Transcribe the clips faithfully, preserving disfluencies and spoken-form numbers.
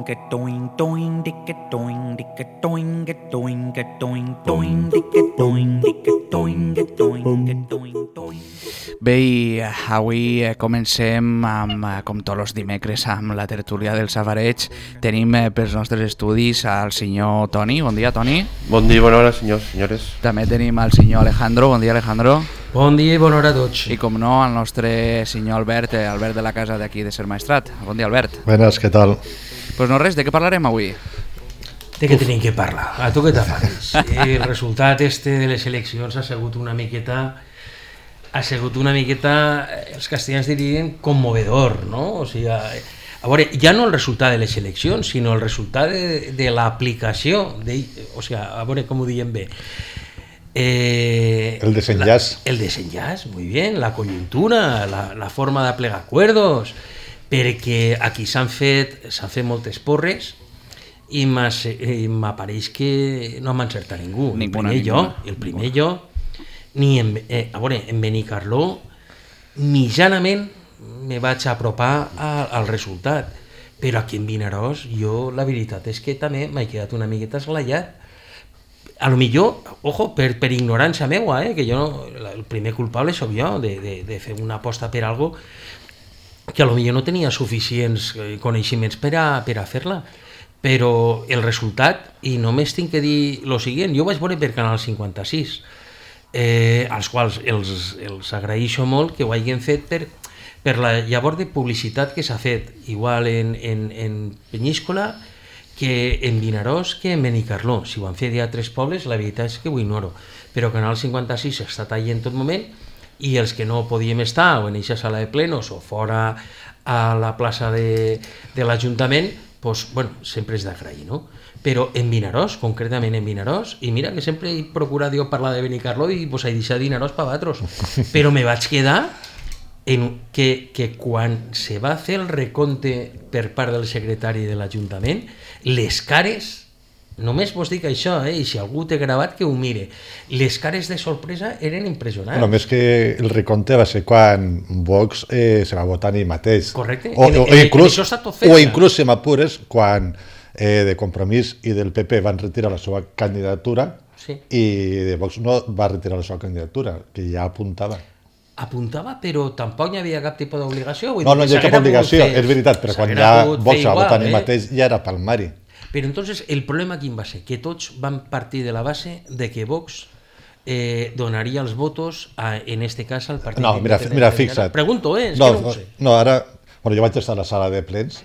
doing, a doing, doing, dick a doing, dick a doing, a doing, a doing, doing, dick a doing, dick a doing, a doing, a doing, doing. Bé, i avui comencem, amb, com tots els dimecres, amb la tertúlia del Safareig. Tenim pels nostres estudis al senyor Toni. Bon dia, Toni. Bon dia i bona hora, senyors, senyores. També tenim al senyor Alejandro. Bon dia, Alejandro. Bon dia i bona hora a tots. I com no, el nostre senyor Albert, Albert de la casa d'aquí de Ser Maestrat. Bon dia, Albert. Buenas, què tal? Pues no res, de què parlarem avui? De què tenim que parlar? A tu què t'apareix? El resultat este de les eleccions ha sigut una miqueta... ha sigut una miqueta, els castellans dirien, conmovedor, no? O sigui, a, a veure, ja no el resultat de les eleccions, sinó el resultat de, de l'aplicació, de, o sigui, a veure com ho diem bé. Eh, el desenllaç. La, el desenllaç, muy bien, la coyuntura, la, la forma de plegar acuerdos, perquè aquí s'han fet, s'han fet moltes porres i m'apareix que no m'ha encertat ningú. El primer jo, el primer jo, ni en, eh, a veure, en Benicarló mitjanament me vaig apropar a, al resultat, però aquí en Vinaròs jo la veritat és que també m'he quedat una miqueta esglaiat. A lo millor, ojo, per, per ignorància meua, eh, que jo no, el primer culpable sóc jo de, de, de fer una aposta per algo que a lo millor no tenia suficients coneixements per a, per a fer-la, però el resultat, i només tinc que dir lo següent, jo vaig veure per Canal cinquanta-sis, Eh, als quals els, els agraeixo molt que ho hagin fet per, per la llavor de publicitat que s'ha fet, igual en, en, en Penyíscola que en Vinaròs que en Benicarló. Si ho han fet a tres pobles, la veritat és que ho ignoro, però Canal cinquanta-sis ha estat allà en tot moment, i els que no podíem estar o en aquesta sala de plenos o fora a la plaça de, de l'Ajuntament, pues, bueno, sempre és d'agrair, no? Però en Vinaròs, concretament en Vinaròs, i mira que sempre he procurat jo parlar de Benicarló i pues, he deixat Vinaròs per vosaltres, però me vaig quedar en que, que quan se va fer el recompte per part del secretari de l'Ajuntament, les cares, només vos dic això, eh, i si algú té gravat que ho mire, les cares de sorpresa eren impressionants. Bueno, més que el recompte va ser quan Vox eh, se va votar ell mateix. Correcte, o, en, o, en, inclús, en això està tot fet. O inclús, si m'apures, quan eh, de Compromís i del P P van retirar la seva candidatura, sí, i de Vox no va retirar la seva candidatura, que ja apuntava. Apuntava, però tampoc hi havia cap tipus d'obligació. No, no hi ha cap obligació, fer, és veritat, però quan ja Vox va votar ell mateix ja era palmari. Però entonces el problema quin va ser? Que tots van partir de la base de que Vox eh, donaria els votos a, en este cas al partit. No, mira, mira, fixa't. Pregunto, eh? És no, que no ho sé. No, ara, bueno, jo vaig estar a la sala de plens,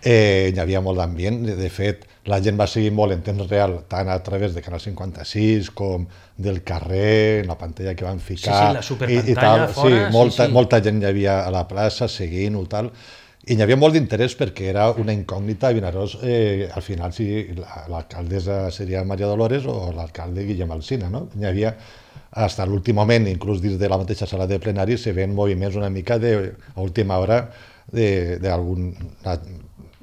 eh, hi havia molt d'ambient, de, de fet, la gent va seguir molt en temps real, tant a través de Canal cinquanta-sis com del carrer, en la pantalla que van ficar. Sí, sí, la superpantalla i, i fora. Sí, molta, sí, sí. molta gent hi havia a la plaça seguint-ho, tal. I hi havia molt d'interès perquè era una incògnita a Vinaròs, eh, al final si l'alcaldessa seria Maria Dolores o l'alcalde Guillem Alsina, no? Hi havia, fins a l'últim moment, inclús dins de la mateixa sala de plenari, se ven moviments una mica de, a última hora d'algun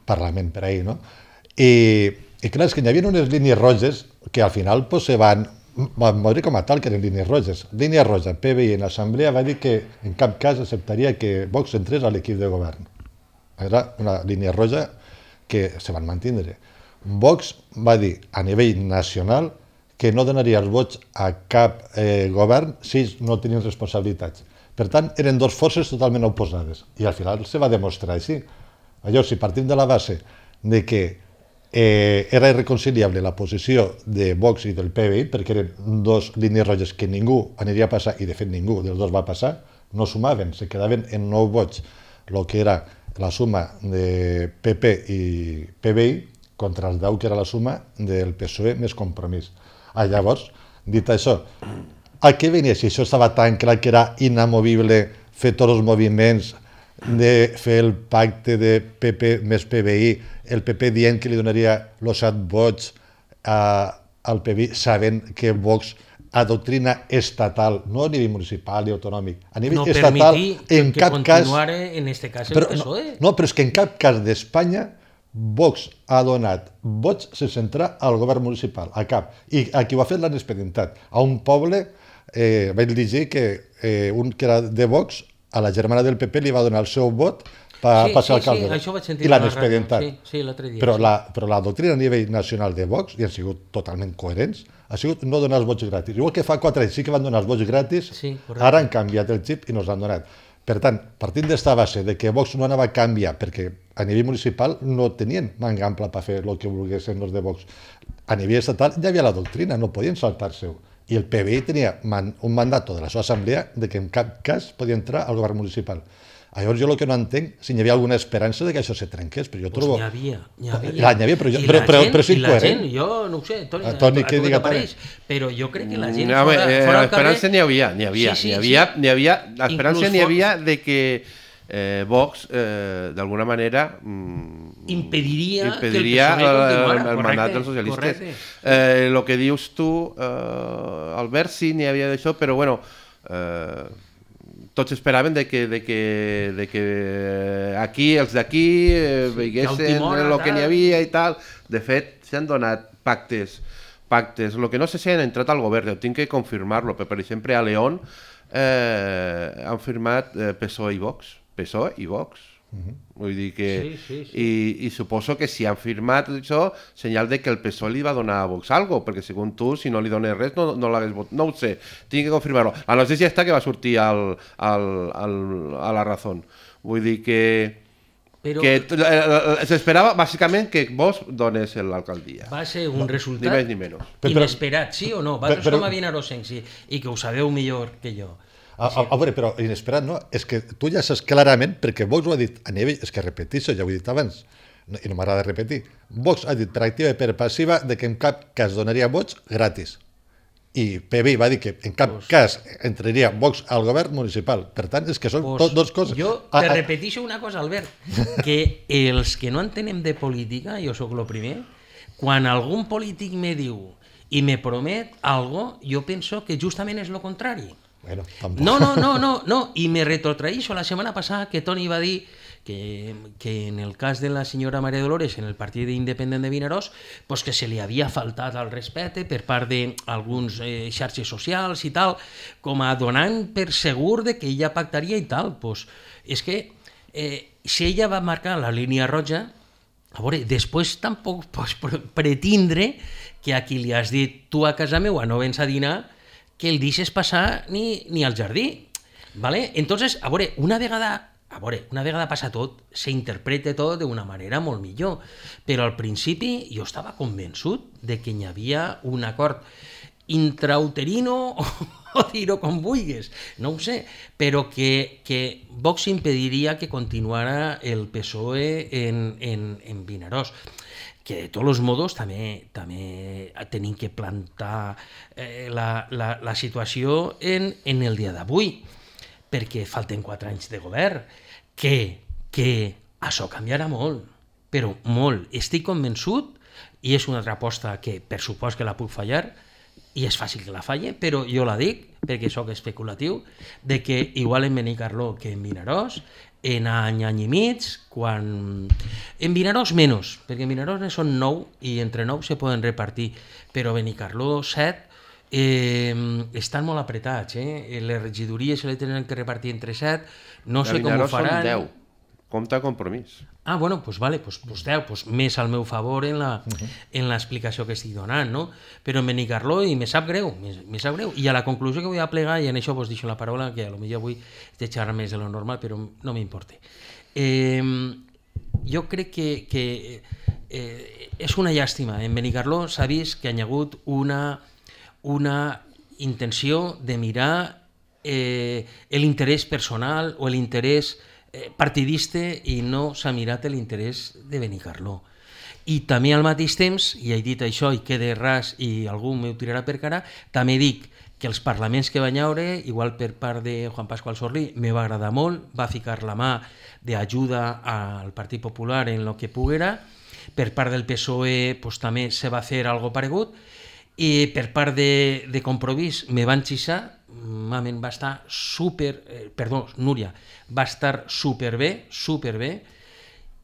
parlament per ahí, no? I, i clar, és que hi havia unes línies roges que al final pues, se van van veure com a tal que eren línies roges. Línia roja, P B I en l'assemblea va dir que en cap cas acceptaria que Vox entrés a l'equip de govern. Era una línia roja que se van mantindre. Vox va dir a nivell nacional que no donaria els vots a cap eh, govern si ells no tenien responsabilitats. Per tant, eren dues forces totalment oposades. I al final se va demostrar així. Llavors, si partim de la base de que eh, era irreconciliable la posició de Vox i del P B I, perquè eren dues línies roges que ningú aniria a passar, i de fet ningú dels dos va passar, no sumaven, se quedaven en nou vots, el que era la suma de P P i P B I contra els deu, que era la suma del P S O E més Compromís. Ah, llavors, dit això, a què venia si això estava tan clar que era inamovible fer tots els moviments de fer el pacte de P P més P B I, el P P dient que li donaria els set vots a, al P B I, sabent que Vox a doctrina estatal, no a nivell municipal i autonòmic, a nivell no estatal, en que cap cas... en este cas el però, P S O E. No, no, però és que en cap cas d'Espanya Vox ha donat vots sense entrar al govern municipal, a cap. I a qui ho ha fet l'han expedientat. A un poble, eh, vaig llegir que eh, un que era de Vox, a la germana del P P li va donar el seu vot per Sí, pa ser sí, alcalde. sí, això vaig sentir I l'han a la ràdio, expedientat. sí, sí, l'altre dia, Però, sí. la, però la doctrina a nivell nacional de Vox, i han sigut totalment coherents, ha sigut no donar els vots gratis. Igual que fa quatre anys sí que van donar els vots gratis, Sí, correcte. ara han canviat el xip i no els han donat. Per tant, partint d'esta base de que Vox no anava a canviar, perquè a nivell municipal no tenien manga ampla per fer el que volguessin els de Vox. A nivell estatal ja hi havia la doctrina, no podien saltar-se-ho. I el P B I tenia man, un mandat de la seva assemblea de que en cap cas podia entrar al govern municipal. Llavors jo el que no entenc, si hi havia alguna esperança de que això se trenqués, però jo Pues trobo... n'hi havia, n'hi havia. La, n'hi havia, però, jo, I però, la però, gent- però és i la incoherent. gent, jo no ho sé, Toni, A a, Toni, a, què tu què diga, t'apareix? Però jo crec que la gent No, fora, eh, fora al l'esperança carrer... n'hi havia, n'hi havia, Sí, sí, n'hi havia, sí. n'hi havia, l'esperança Inclús n'hi for- havia de que eh, Vox, eh, d'alguna manera, mm, Impediria, impediria que el P S O E el, continuara. el mandat Correcte, dels socialistes. correcte. Eh, el que dius tu, eh, Albert, sí, n'hi havia d'això, però bueno, eh, tots esperaven de que, de que, de que aquí, els d'aquí, eh, veiessin última hora, el que tal. n'hi havia i tal. De fet, s'han donat pactes pactes. El que no sé si han entrat al govern, ho tinc que confirmar-lo, però per exemple a León eh, han firmat eh, P S O E i Vox. P S O E i Vox. Vull dir que... Sí, sí, sí. I, I suposo que si han firmat això, senyal de que el P S O E li va donar a Vox algo, perquè segons tu, si no li dones res, no, no l'hagués votat. No ho sé, tinc que confirmar-ho. La notícia està que va sortir al, al, al, a la Razón. Vull dir que... Però que eh, eh, s'esperava bàsicament que Vox donés l'alcaldia. va ser un Ni resultat més ni menys. Però- inesperat, sí o no? Vosaltres però- com a vinarosencs i, i que ho sabeu millor que jo. A, a, a veure, però inesperat, no? És que tu ja saps clarament, perquè Vox ho ha dit a nivell, és que repeteixo, ja ho he dit abans, no, i no m'agrada repetir, Vox ha dit per activa i per passiva de que en cap cas donaria vots gratis. I P B I va dir que en cap Pues- cas entraria Vox al govern municipal. Per tant, és que són Pues tot dos coses. Jo Ah, te ah, repeteixo una cosa, Albert, que els que no entenem de política, jo sóc el primer, quan algun polític me diu i me promet algo, jo penso que justament és el contrari. Bueno, tampoc. No, no, no, no, no, i me retrotraïxo la setmana passada que Toni va dir que, que en el cas de la senyora Maria Dolores en el partit independent de Vinaròs pues que se li havia faltat al respecte per part d'alguns eh, xarxes socials i tal, com a donant per segur de que ella pactaria i tal. Pues, és que eh, si ella va marcar la línia roja, a veure, després tampoc pots pretindre que a qui li has dit tu a casa meua no vens a dinar que el deixes passar ni, ni al jardí. ¿Vale? Entonces, a veure, una vegada, a veure, una vegada passa tot, s'interpreta tot d'una manera molt millor. Però al principi jo estava convençut de que hi havia un acord intrauterino o, o dir-ho com vulguis, no ho sé, però que, que Vox impediria que continuara el P S O E en, en, en Vinaròs. Que de tots els modos també, també tenim que plantar eh, la, la, la situació en, en el dia d'avui, perquè falten quatre anys de govern, que, que això canviarà molt, però molt. Estic convençut, i és una altra aposta que per supost que la puc fallar, i és fàcil que la falle, però jo la dic, perquè sóc especulatiu, de que igual en Benicarló que en Vinaròs, en any, any i mig, quan... En Vinaròs menys, perquè en Vinaròs ne són nou i entre nou se poden repartir, però Benicarló set eh, estan molt apretats, eh? Les regidories se les tenen que repartir entre set, no sé com ho faran. Són deu. Compte compromís. Ah, bueno, doncs vale, pues, pues deu, pues més al meu favor en la, en l'explicació que estic donant, no? Però en Benicarló, i me sap greu, me, me sap greu. I a la conclusió que vull a plegar, i en això vos deixo la paraula, que a lo millor avui he de xerrar més de lo normal, però no m'importa. Eh, jo crec que, que eh, és una llàstima. En Benicarló s'ha vist que hi ha hagut una, una intenció de mirar eh, l'interès personal o l'interès partidista i no s'ha mirat l'interès de Benicarló. I també al mateix temps, i he dit això i quede ras i algú m'ho tirarà per cara, també dic que els parlaments que va haure, igual per part de Juan Pascual Sorlí, me va agradar molt, va ficar la mà d'ajuda al Partit Popular en lo que poguera, per part del P S O E pues, també se va fer algo paregut, i per part de, de Compromís me van xixar, mamen va estar super, eh, perdó, Núria, va estar superbé, superbé,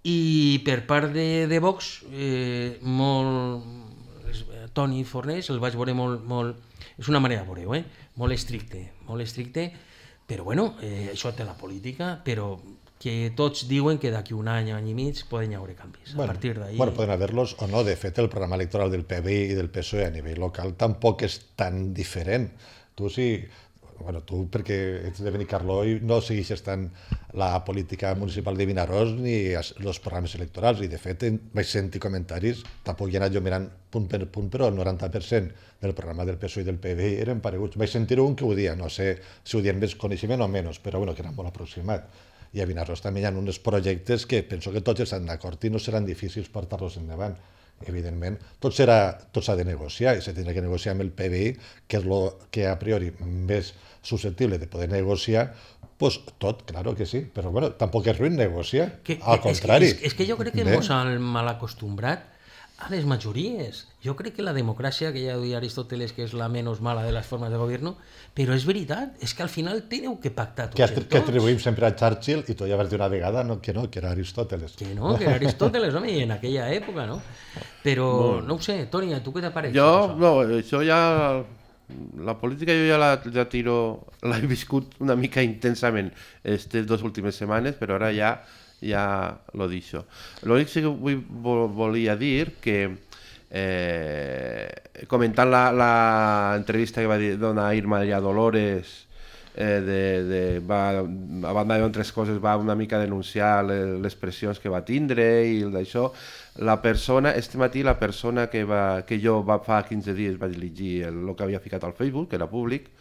i per part de, de Vox, eh, molt, Toni Fornés, el vaig veure molt, molt, és una manera de veure-ho, eh? Molt estricte, molt estricte, però bueno, eh, això té la política, però que tots diuen que d'aquí un any, any i mig, poden haver canvis. Bueno, a partir d'ahí... bueno, poden haver-los o no. De fet, el programa electoral del P B I i del P S O E a nivell local tampoc és tan diferent. Tu sí... Bueno, tu, perquè ets de Benicarló i no segueixes tant la política municipal de Vinaròs ni els programes electorals, i de fet vaig sentir comentaris, tampoc hi he anat jo mirant punt per punt, però el noranta per cent del programa del P S O E i del P B I eren pareguts. Vaig sentir un que ho dia, no sé si ho dien més coneixement o menys, però bueno, que era molt aproximat. I a Vinaròs també hi ha uns projectes que penso que tots estan d'acord i no seran difícils portar-los endavant. Evidentment, tot serà, tot s'ha de negociar i s'ha de negociar amb el P B I, que és el que a priori més susceptible de poder negociar, pues tot, claro que sí, però bueno, tampoc és ruïn negociar, que, al que, contrari. És, és que jo crec que Bé. ens han mal acostumbrat a les majories. Jo crec que la democràcia, que ja ho deia Aristóteles, que és la menys mala de les formes de govern, però és veritat, és que al final teniu que pactar tots Que, els que atribuïm sempre a Churchill, i tu ja vas dir una vegada no, que no, que era Aristóteles. Que no, que era Aristóteles, home, i en aquella època, no? Però, bueno, no ho sé, Toni, a tu què t'apareix? Jo, no, això ja... La política jo ja la, ja tiro... L'he viscut una mica intensament aquestes dues últimes setmanes, però ara ja ja lo deixo. L'únic que vull, volia dir que eh, comentant la, la entrevista que va dir, donar Irma María Dolores, eh, de, de, va, a banda d'altres coses, va una mica denunciar les, les pressions que va tindre i d'això. La persona, este matí la persona que, va, que jo va, fa quinze dies vaig llegir el, el que havia ficat al Facebook, que era públic,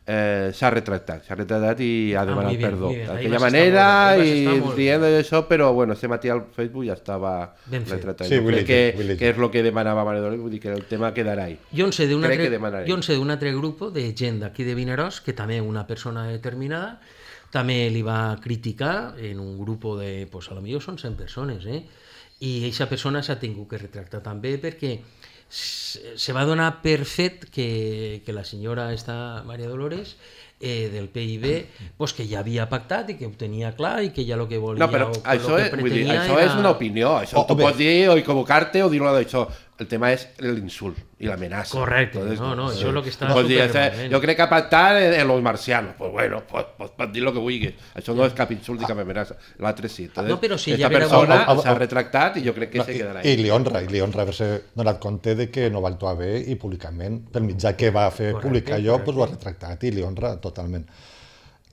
eh, s'ha retractat, s'ha retractat i ha demanat ah, bien, perdó d'aquella manera i dient això, però bueno, este matí al Facebook ja estava retratat. Sí, crec que, que és el que demanava Manuel Dolores, vull dir que el tema quedarà ahí. Jo en sé d'un altre, jo sé d'un altre grup de gent d'aquí de Vinaròs, que també una persona determinada també li va criticar en un grup de, pues a lo millor són cent persones, eh? I aquesta persona s'ha tingut que retractar també perquè se va donar per fet que, que la senyora esta María Dolores eh, del P I B pues que ja havia pactat i que ho tenia clar i que ja el que volia no, però o, això, o és, que vull dir, això era... és una opinió, això oh, tu bé. Pots dir o equivocar-te o dir-lo d'això. El tema és l'insult i l'amenaça. Correcte, Entonces, no, no, sí. això és el que està Pots dir, supermalament. jo crec que pactar en, en los marcianos, pues bueno, pots, pots, pots dir el que vulguis. Això no és cap insult ni cap amenaça. L'altre sí. Entonces, no, però si esta ja persona vera... s'ha retractat i jo crec que no, se quedarà I, i li honra, i li honra haver-se donat compte de que no va actuar bé i públicament, pel mitjà que va fer correcte, públic allò, pues, ho ha retractat i li honra totalment.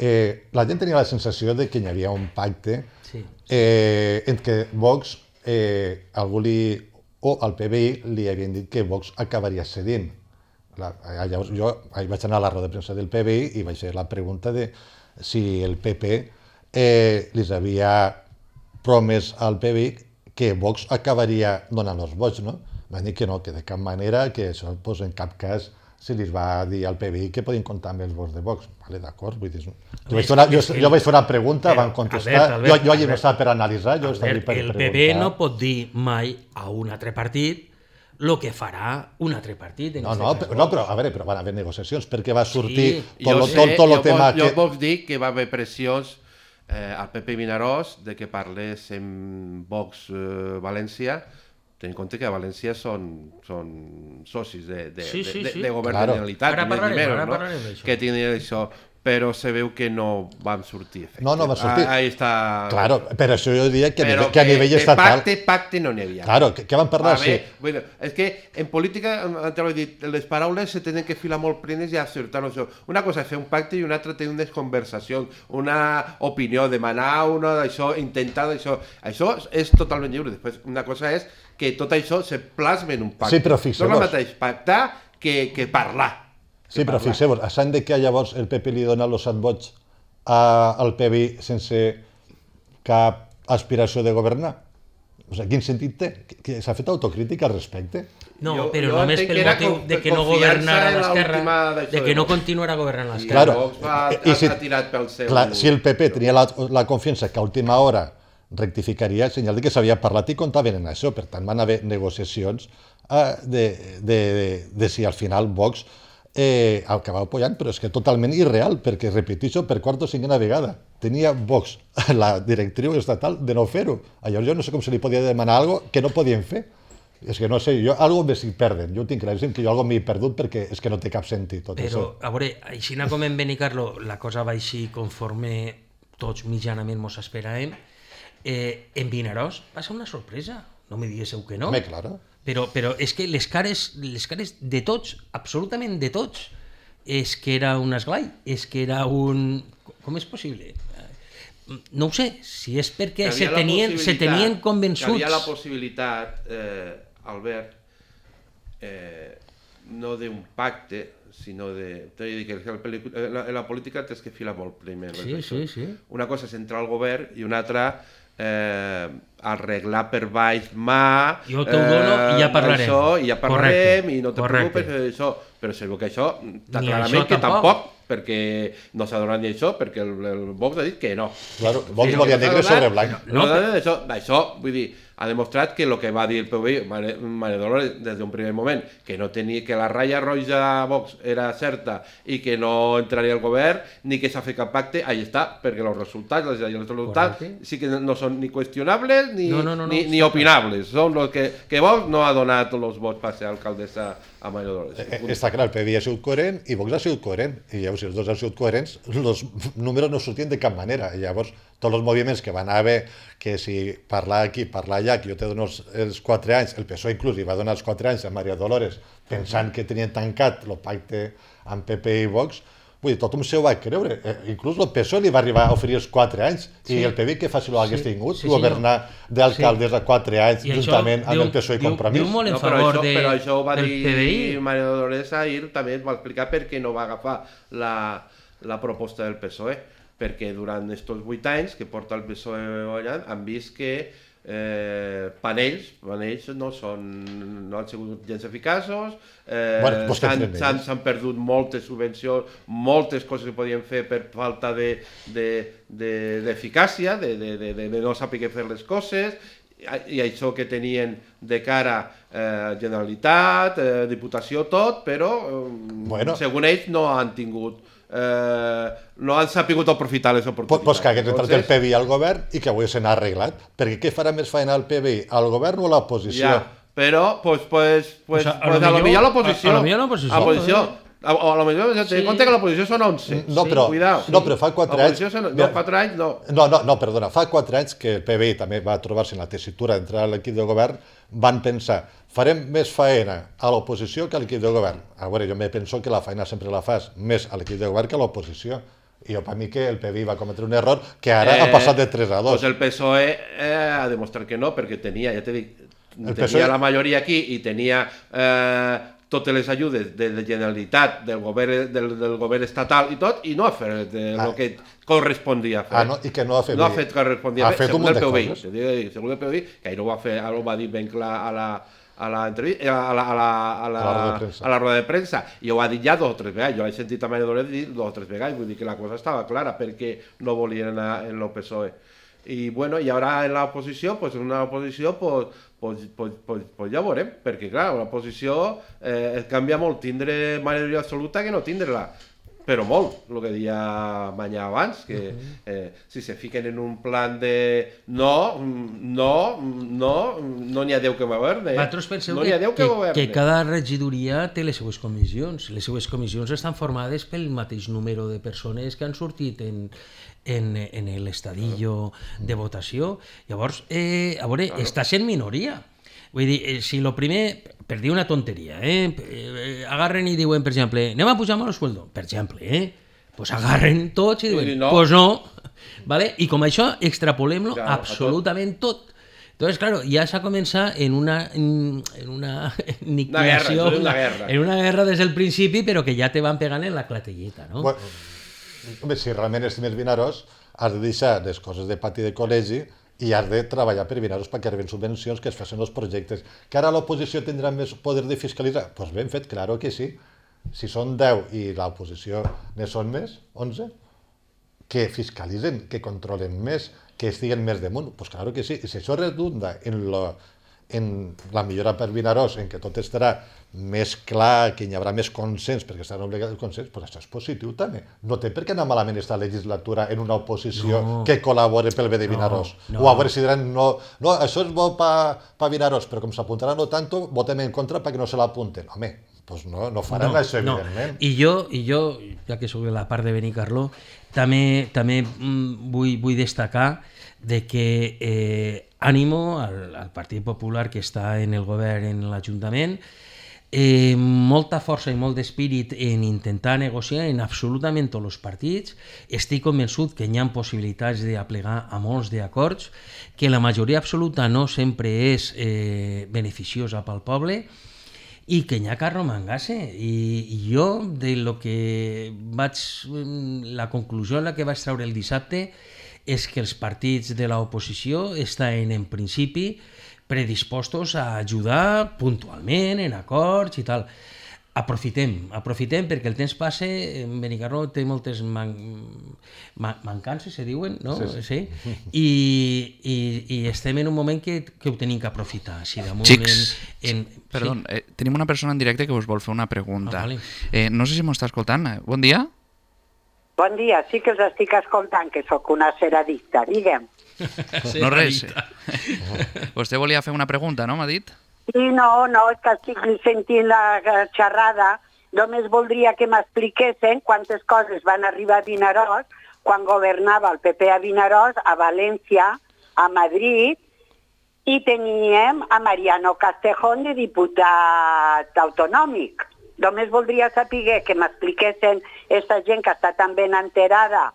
Eh, la gent tenia la sensació de que hi havia un pacte sí. eh, en què Vox, eh, algú li, o al P B I li havien dit que Vox acabaria cedint. La, llavors jo vaig anar a la roda de premsa del P B I i vaig fer la pregunta de si el P P eh, li havia promès al P B I que Vox acabaria donant els vots, no? Van dir que no, que de cap manera, que això pues, en cap cas se li va dir al P B I que podien comptar amb els vots de Vox. Vale, d'acord, vull dir... Jo vaig, una, jo, jo vaig fer una pregunta, però, van contestar... Albert, Albert, jo, jo allà no estava per analitzar, jo estava per el preguntar. El P B no pot dir mai a un altre partit el que farà un altre partit. No, no, però, no, però a veure, però van haver negociacions, perquè va sortir sí, tot, sé, tot, tot el tema jo, que... Jo puc dir que va haver pressions eh, al P P Vinaròs de que parlés en Vox eh, València. Ten en compte que a València són, són socis de, de, sí, sí, de, sí. de, de govern claro. de Generalitat, ara parlarem, menos, ara no? parlarem d'això. Que tenen això, però se veu que no van sortir efecte. No, no va sortir. Ah, ahí està... Claro, però això jo diria que, però a nivell, que a nivell estatal... Pacte, pacte no n'hi havia. Claro, que, que van parlar, a sí. Ver, bueno, és que en política, te l'he dit, les paraules se tenen que filar molt plenes i acertar això. Una cosa és fer un pacte i una altra tenir unes conversacions, una opinió, demanar una d'això, intentar d'això. Això és totalment lliure. Després, una cosa és que tot això se plasma en un pacte. Sí, però fixeu-vos. No és el mateix pactar que, que parlar. Sí, però fixeu-vos, a Sant de que llavors el P P li dona els set vots a, al P B I sense cap aspiració de governar? O sigui, quin sentit té? Que, que s'ha fet autocrítica al respecte? No, jo, però jo només pel motiu de que no governara l'Esquerra, de que no continuarà governant l'Esquerra. Claro, ha, ha, si, ha tirat pel seu... Clar, si el P P tenia la, la confiança que a última hora rectificaria, senyal de que s'havia parlat i comptaven en això. Per tant, van haver negociacions eh, de, de, de, de si al final Vox eh, acabava apoyant, però és que totalment irreal, perquè, repeteixo, per quarta o cinquena vegada tenia Vox la directriu estatal de no fer-ho. Llavors jo no sé com se li podia demanar alguna cosa que no podien fer. És que no sé, jo algo me s'hi perden. Jo tinc claríssim que jo algo m'hi he perdut perquè és que no té cap sentit tot però, això. Però, a veure, així com en Benicarló la cosa va així conforme tots mitjanament mos esperàvem, eh, en Vinaròs va ser una sorpresa, no me diguéssiu que no. Home, claro. Però, però és que les cares, les cares de tots, absolutament de tots, és que era un esglai, és que era un... Com és possible? No ho sé, si és perquè se tenien, se tenien convençuts... Que havia la possibilitat, eh, Albert, eh, no d'un pacte, sinó de... T'he de dir que en la, en la política tens que filar molt primer. Sí, sí, sí. Una cosa és entrar al govern i una altra eh, arreglar per baix mà... Jo t'ho dono i ja parlarem. Això, i ja parlarem, correcte, i no te correcte. preocupes, això. Però segur que això, Ni clarament això que tampoc. tampoc, perquè no s'ha donat ni això, perquè el, el Vox ha dit que no. Claro, Vox Sí, volia no s'ha negre donat, sobre blanc. No, no, no, això, això, vull dir, ha demostrat que el que va dir el P V I, Maria, Maria Dolores, des d'un primer moment, que no tenia, que la ratlla roja a Vox era certa i que no entraria al govern, ni que s'ha fet cap pacte, ahí està, perquè els resultats, els, els resultats Correcte. sí que no són ni qüestionables ni, No, no, no, no, ni, ni opinables, són els que, que Vox no ha donat els vots per ser alcaldessa a Maria Dolores. Eh, Està clar, el P V I ha sigut coherent i Vox ha sigut coherent. I llavors, si els dos han sigut coherents, els números no sortien de cap manera. I llavors, tots els moviments que van haver, que si parlar aquí, parlar allà, que jo te dono els, els quatre anys, el P S O E inclús hi va donar els quatre anys a Maria Dolores, pensant que tenien tancat el pacte amb P P i Vox, vull dir, tothom se ho va creure. Eh, inclús el P S O E li va arribar a oferir els quatre anys. Sí. I el P V I que fàcil ho hagués Sí. tingut, Sí, governar d'alcaldes a quatre anys, I això juntament amb diu- el P S O E i diu- Compromís. diu molt en No, però favor això, de, però això ho va del dir P V I. Maria Dolores ahir, també es va explicar per què no va agafar la, la proposta del P S O E, perquè durant aquests vuit anys que porta el P S O E allà han vist que eh, panells, panells no, són, no han sigut gens eficaços, eh, Bueno, pues que s'han tenen s'han- ells. s'han perdut moltes subvencions, moltes coses que podien fer per falta de, de, de, d'eficàcia, de, de, de, de, de no saber fer les coses, i això que tenien de cara eh, Generalitat, eh, Diputació, tot, però eh, Bueno. segons ells no han tingut eh, no han sapigut aprofitar les Pues, oportunitats. pues que hagués entrat el Entonces, P V I al govern i que ho haguessin arreglat. Perquè què farà més feina el P V I, al govern o a l'oposició? ja, però pues, pues, pues, Pues a- a pues lo a lo millor- millor l'oposició. a- a lo millor l'oposició, A l'oposició. eh? A, a lo millor, ten Sí. en compte que l'oposició són onze. No, Sí, però, cuidao. no, però fa quatre anys... L'oposició són, Mira, no, quatre anys no. No, no, no, perdona, fa quatre anys que el P V I també va trobar-se en la tessitura d'entrar a l'equip de govern, van pensar, farem més faena a l'oposició que a l'equip de govern. A veure, jo me penso que la feina sempre la fas més a l'equip de govern que a l'oposició. I jo, per mi, que el P V I va cometre un error que ara Eh, ha passat de tres a dos. Pues el P S O E eh, ha demostrat que no, perquè tenia, ja t'he dit, El tenia P S O E la majoria aquí i tenia eh, totes les ajudes de la Generalitat, del govern, del, del govern estatal i tot, i no ha fet el Ah. que correspondia fer. Ah, no? I que no ha fet No ha bé. fet que correspondia Ha fer, fet un segons munt el de P V I. coses. Te dic, segons el P V I, que ahir ho va fer, ara ho va dir ben clar a la a la, entrevista, a la, a la, a la, A la roda de premsa. a la roda de premsa, i ho ha dit ja dos o tres vegades, jo l'he sentit a Maria Dolores dir dos o tres vegades, vull dir que la cosa estava clara perquè no volien anar en el P S O E. I bueno, i ara en l'oposició, pues en una oposició, pues, pues, pues, pues, pues ja veurem, perquè clar, l'oposició eh, canvia molt tindre majoria absoluta que no tindre-la. Però molt, el que deia Manyà abans, que eh, si se fiquen en un plan de no, no, no, no n'hi ha Déu que governe. Vosaltres penseu no n'hi que, ha Déu que, que, governe. que cada regidoria té les seues comissions. Les seues comissions estan formades pel mateix número de persones que han sortit en, en, en l'estadillo de votació. Llavors, eh, a veure, claro. Està sent minoria. Vull dir, eh, si lo primer, per dir una tonteria, eh, eh, agarren i diuen, per exemple, anem a pujar el sueldo, per exemple, eh, pues agarren tots i diuen, I no. pues no, ¿vale? I com això, extrapolem-lo Claro, a tot. absolutament tot. Entonces, claro, ya se ha comenzado en una, en una aniquilació, Una guerra, una guerra. en una guerra des del principi, però que ja te van pegant en la clatelleta, no? Bueno, home, si realment estimes Vinaròs, has de deixar les coses de pati de col·legi i has de treballar per Vinaròs perquè arriben subvencions, que es facin els projectes. Que ara l'oposició tindrà més poder de fiscalitzar? Doncs pues ben fet, claro que sí. Si són deu i l'oposició ne són més, onze, que fiscalitzen, que controlen més, que estiguen més damunt, doncs pues claro que sí. I si això redunda en, lo, en la millora per Vinaròs, en que tot estarà més clar, que hi haurà més consens, perquè estarà obligat el consens, doncs això és positiu també. No té per què anar malament aquesta legislatura en una oposició No. que col·labori pel bé de Vinaròs. No, no. O a veure si diran, no, no això és bo per pa Vinaròs, però com s'apuntaran no tanto, votem en contra perquè no se l'apunten. Home, pues no, no faran No, això, no. evidentment. I jo, i jo, ja que soc de la part de Benicarló, també, també mm, vull, vull destacar de que eh, ànimo al, al Partit Popular que està en el govern, en l'Ajuntament, eh, molta força i molt d'espírit en intentar negociar en absolutament tots els partits. Estic convençut que hi ha possibilitats d'aplegar a molts d'acords, que la majoria absoluta no sempre és eh, beneficiosa pel poble, i que n'hi ha que arromangar-se. I, I jo, de lo que vaig, la conclusió en la que vaig treure el dissabte és que els partits de l'oposició estan en principi predispostos a ajudar puntualment en acords i tal. Aprofitem, aprofitem perquè el temps passa, Benicarló té moltes man, man, mancances, se diuen, no? Sí, sí. Sí? I, i, i estem en un moment que, que ho tenim que aprofitar. Si damunt Xics, en, en, perdó, sí. eh, tenim una persona en directe que us vol fer una pregunta. Ah, vale. eh, no sé si m'ho està escoltant. Bon dia. Bon dia, sí que us estic escoltant, que sóc una ceradicta, digue'm. No res. Vostè volia fer una pregunta, no? M'ha dit? Sí, no, no, és que estic sentint la xerrada. Només voldria que m'expliquessin quantes coses van arribar a Vinaròs quan governava el P P a Vinaròs, a València, a Madrid, i teníem a Mariano Castejón de diputat autonòmic. Només voldria saber que m'expliquessin aquesta gent que està tan ben enterada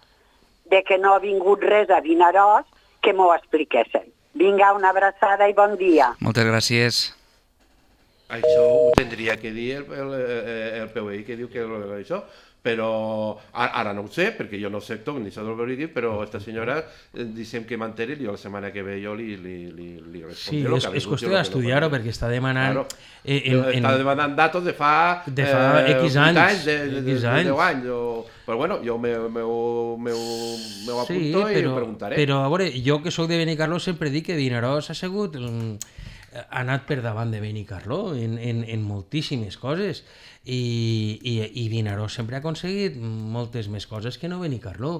de que no ha vingut res a Vinaròs, que m'ho expliquessin. Vinga, una abraçada i bon dia. Moltes gràcies. Això ho tindria que dir el, el, el P U I, que diu que això, però ara no ho sé, perquè jo no sé tot, ni sé del verídic, però esta senyora, dicem que m'enteri, i la setmana que ve jo li, li, li, li Sí, respondré. és, és qüestió d'estudiar-ho, perquè està demanant... Claro. Eh, en, en, Està demanant datos de fa... De fa X anys, de, de, de, X de anys. deu anys. O, però bueno, jo m'ho apunto sí, i però, ho preguntaré. però a veure, jo que sóc de Benicarló sempre dic que Vinaròs ha sigut... mm, ha anat per davant de Benicarló en, en, en moltíssimes coses i, i, i Vinaròs sempre ha aconseguit moltes més coses que no Benicarló.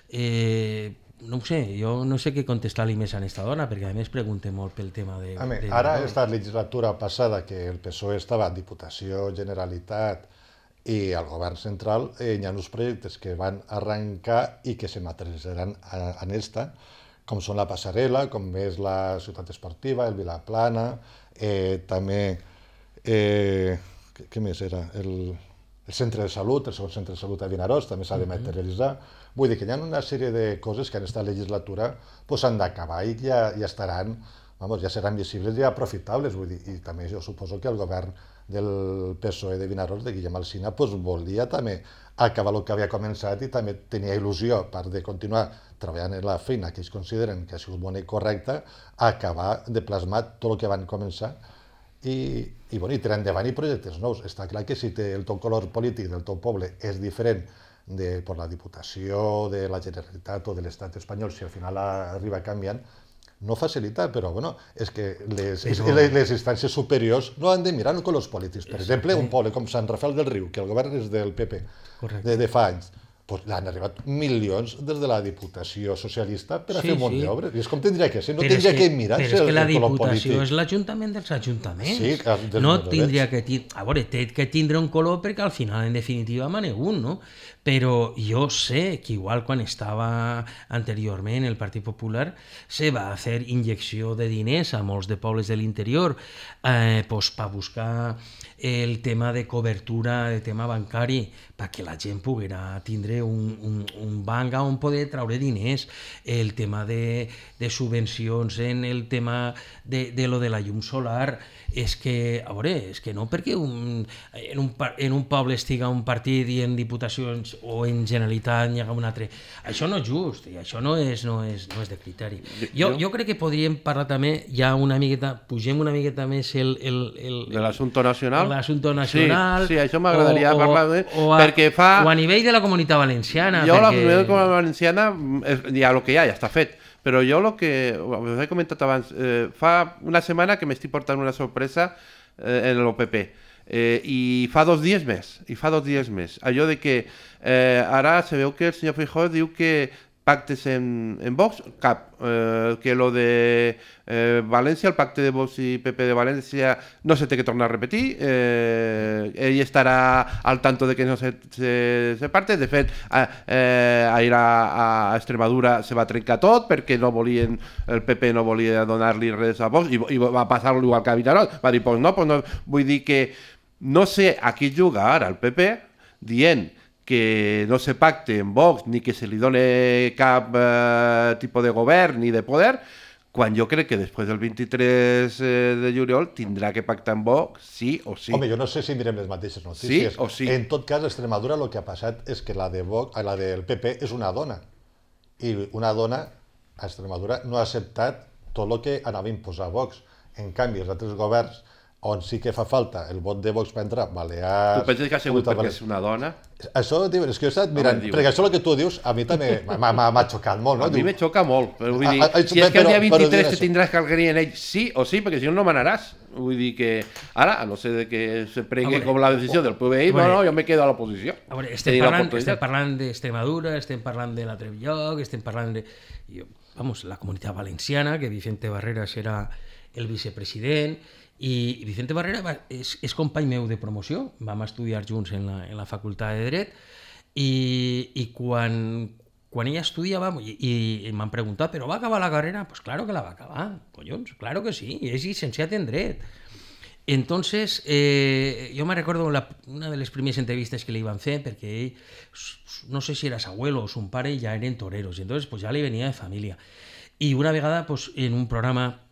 Eh, no ho sé, jo no sé què contestar-li més a aquesta dona, perquè a més pregunte molt pel tema de... A mi, de ara, Vinaròs. esta legislatura passada, que el P S O E estava en Diputació, Generalitat i al govern central, eh, hi ha uns projectes que van arrencar i que se materialitzaran en esta, com són la passarel·la, com és la ciutat esportiva, el Vilaplana, eh, també, eh, què, què més era? El, el centre de salut, el segon centre de salut a Vinaròs, també s'ha de materialitzar. Vull dir que hi ha una sèrie de coses que en aquesta legislatura pues, han d'acabar i ja, ja estaran, vamos, ja seran visibles i aprofitables. Vull dir, i també jo suposo que el govern del P S O E de Vinaròs, de Guillem Alsina, pues, volia també acabar el que havia començat i també tenia il·lusió, a part de continuar treballant en la feina que ells consideren que ha sigut bona i correcta, acabar de plasmar tot el que van començar i, i, bueno, i tirar endavant i projectes nous. Està clar que si té el teu color polític del teu poble és diferent de per la Diputació, de la Generalitat o de l'Estat espanyol, si al final arriba canviant, no facilita, però bueno, és que les, però... les, les instàncies superiors no han de mirar en colors polítics. Per exemple, un poble com Sant Rafel del Riu, que el govern és del P P, de, de fa anys, pues, han arribat milions des de la Diputació Socialista per a Sí, fer un munt sí. d'obres. I és com tindria que ser, no Però és tindria que, que mirar però és el, que la el color Diputació polític. és l'Ajuntament dels Ajuntaments. Sí, dels no models. tindria que... Ti... A veure, té que tindre un color perquè al final, en definitiva, mane un, no? Però jo sé que igual quan estava anteriorment el Partit Popular se va fer injecció de diners a molts de pobles de l'interior eh, pues, per buscar el tema de cobertura, el tema bancari, perquè la gent poguera tindre un, un, un banc on poder traure diners, el tema de, de subvencions en el tema de, de lo de la llum solar, és que, a veure, és que no perquè un, en, un, par- en un poble estiga un partit i en diputacions o en Generalitat n'hi haga un altre. Això no és just, i això no és, no és, no és de criteri. Jo, jo crec que podríem parlar també, ja una miqueta, pugem una miqueta més el... el, el De l'assumpte nacional? L'assumpte nacional. Sí, sí, això m'agradaria o- o- parlar de... o a- perquè fa... O a nivell de la Comunitat Valenciana. Jo la perquè... comunitat com valenciana, és, ja el que hi ha, ja està fet. Però jo el que us he comentat abans, eh, fa una setmana que m'estic portant una sorpresa eh, en l'O P P. Eh, I fa dos dies més, i fa dos dies més. Allò de que eh, ara se veu que el senyor Feijóo diu que pactes en, en Vox, cap. Eh, que lo de eh, València, el pacte de Vox i P P de València, no se té que tornar a repetir. Eh, ell estarà al tanto de que no se, se, se parte. De fet, a, eh, a ir a, a Extremadura se va trencar tot perquè no volien, el P P no volia donar-li res a Vox i, i va passar-lo igual que a Vinaròs. Va dir, pues no, pues no, vull dir que no sé a qui juga ara el P P dient que no se pacte en Vox ni que se li done cap eh, tipus de govern ni de poder, quan jo crec que després del vint-i-tres de juliol tindrà que pactar en Vox sí o sí. Home, jo no sé si mirem les mateixes notícies. Sí o sí. En tot cas, a Extremadura el que ha passat és que la, de Vox, la del P P és una dona. I una dona a Extremadura no ha acceptat tot el que anava a imposar Vox. En canvi, els altres governs on sí que fa falta el vot de Vox per entrar, Balears... Tu penses que ha sigut perquè és una dona? Això, diu, és que jo he estat mirant, no perquè això el que tu dius, a mi també m'ha xocat molt, no? A mi me xoca molt, però vull dir, a, a, si és que el dia vint-i-tres te això. tindràs que algrir en ell, sí o sí, perquè si no, no manaràs. Vull dir que, ara, a no ser de que se pregui com la decisió del P V I, no, no, jo me quedo a l'oposició. A veure, estem parlant, estem parlant d'Extremadura, estem parlant de la Trevilloc, estem parlant de... Jo, vamos, la Comunitat Valenciana, que Vicente Barreras era el vicepresident, i Vicente Barrera va, és, és company meu de promoció, vam estudiar junts en la, en la facultat de Dret, i, i quan, quan ella estudiava, i, i m'han preguntat, però va acabar la carrera? Pues claro que la va acabar, collons, claro que sí, és llicenciat en Dret. Entonces, eh, yo me recuerdo la, una de les primeres entrevistes que li van fer, perquè ell, no sé si era su abuelo o su pare, ja eren toreros, i entonces pues, ja li venia de família. I una vegada, pues, en un programa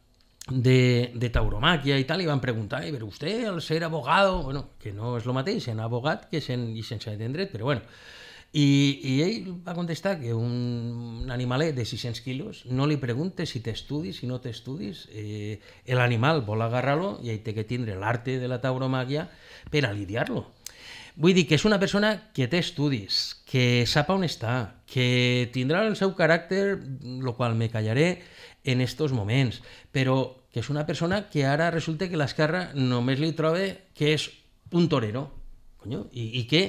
de, de tauromaquia i tal, i van preguntar, però vostè, al ser abogado, bueno, que no és el mateix en abogat que en llicenciat en dret, però bueno, i, i ell va contestar que un animalet de sis-cents quilos no li pregunte si té estudis, si no té estudis, eh, l'animal vol agarrar-lo i ell té que tindre l'arte de la tauromaquia per a lidiar-lo. Vull dir que és una persona que té estudis, que sap on està, que tindrà el seu caràcter, el qual me callaré en estos moments, però que és una persona que ara resulta que l'esquerra només li troba que és un torero. Conyo, i, i què?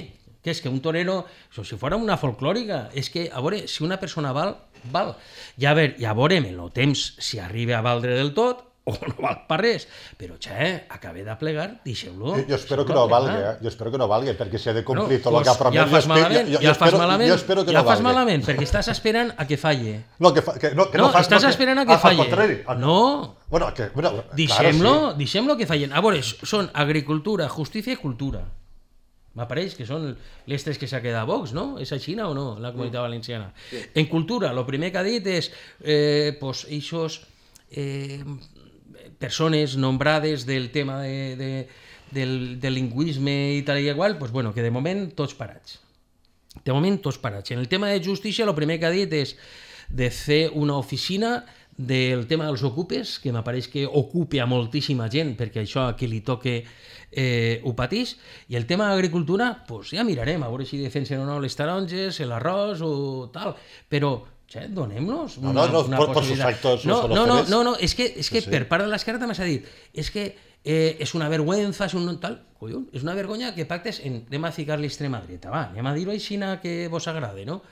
Què és que un torero, si fora una folclòrica, és que, a veure, si una persona val, val. Ja, a veure, ja veurem en el temps si arriba a valdre del tot, o no val per res, però xe, acabé de plegar, deixeu-lo. Jo, jo espero que no valgui, eh? Jo espero que no valgui, perquè si ha de complir no, tot el que ha promès... Ja fas malament, jo, jo, ja espero, fas malament, jo espero que ja no fas valgui. malament, perquè estàs esperant a que falle. No, que, fa, que, no, que no, no fas... estàs no, esperant a que ah, falle. Al contrari. No, bueno, que, bueno, deixem-lo, claro, sí. deixem-lo que fallen. A veure, són agricultura, justícia i cultura. M'apareix que són les tres que s'ha quedat Vox, no? És així o no, la Comunitat Valenciana? Sí. En cultura, el primer que ha dit és eh, pues, eixos... Eh, persones nombrades del tema de, de, del, del lingüisme i tal i igual, pues bueno, que de moment tots parats. De moment tots parats. En el tema de justícia, el primer que ha dit és de fer una oficina del tema dels ocupes, que m'apareix que ocupe a moltíssima gent, perquè això a qui li toque eh, ho patís, i el tema d'agricultura, pues ja mirarem, a veure si defensen o no les taronges, l'arròs o tal, però Che, donem-nos una, no, no, una por, possibilitat. Por sus actos no, no, no, no, no, no, és que, és que sí, sí. per part de l'esquerra també s'ha dit, és que eh, és una vergüenza, és un tal, collons, és una vergonya que pactes en, anem a ficar-li extrema dreta, va, anem a dir-ho així que vos agrade, no?